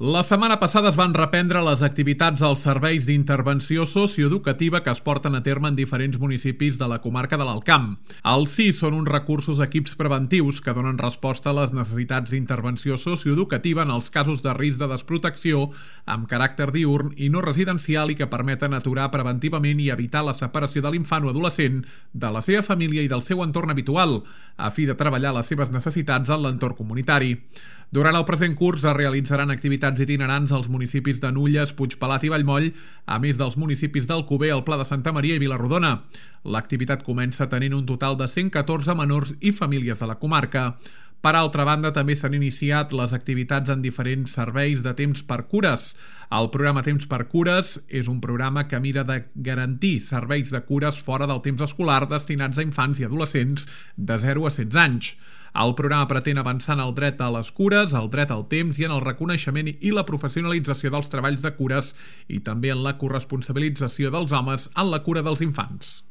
La setmana passada es van reprendre les activitats als serveis d'intervenció socioeducativa que es porten a terme en diferents municipis de la comarca de l'Alt Camp. Els CIS són uns recursos equips preventius que donen resposta a les necessitats d'intervenció socioeducativa en els casos de risc de desprotecció amb caràcter diürn i no residencial i que permeten aturar preventivament i evitar la separació de l'infant o adolescent de la seva família i del seu entorn habitual, a fi de treballar les seves necessitats en l'entorn comunitari. Durant el present curs es realitzaran activitats itinerants als municipis de Nulles, Puigpelat i Vallmoll, a més dels municipis d'Alcover, el Pla de Santa Maria i Vila-rodona. L'activitat comença tenint un total de 114 menors i famílies de la comarca. Per altra banda, també s'han iniciat les activitats en diferents serveis de temps per cures. El programa Temps per Cures és un programa que mira de garantir serveis de cures fora del temps escolar destinats a infants i adolescents de 0 a 16 anys. El programa pretén avançar en el dret a les cures, el dret al temps i en el reconeixement i la professionalització dels treballs de cures i també en la corresponsabilització dels homes en la cura dels infants.